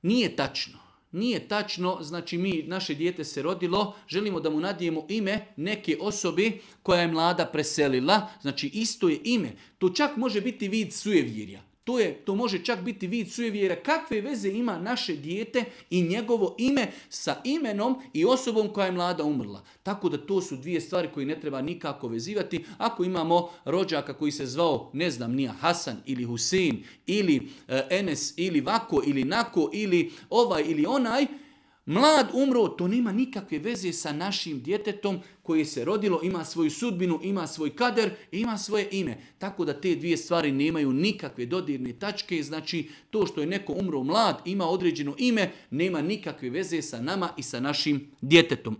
Nije tačno. Nije tačno, znači naše dijete se rodilo, želimo da mu nadijemo ime neke osobi koja je mlada preselila, znači isto je ime. To čak može biti vid sujevjerja. To može čak biti vid sujevjerja. Kakve veze ima naše dijete i njegovo ime sa imenom i osobom koja je mlada umrla. Tako da to su dvije stvari koje ne treba nikako vezivati. Ako imamo rođaka koji se zvao, ne znam, nija Hasan ili Husein ili Enes ili vako ili nako ili ovaj ili onaj, mlad umro, to nema nikakve veze sa našim djetetom koje se rodilo, ima svoju sudbinu, ima svoj kader, ima svoje ime. Tako da te dvije stvari nemaju nikakve dodirne tačke, znači to što je neko umro mlad, ima određeno ime, nema nikakve veze sa nama i sa našim djetetom.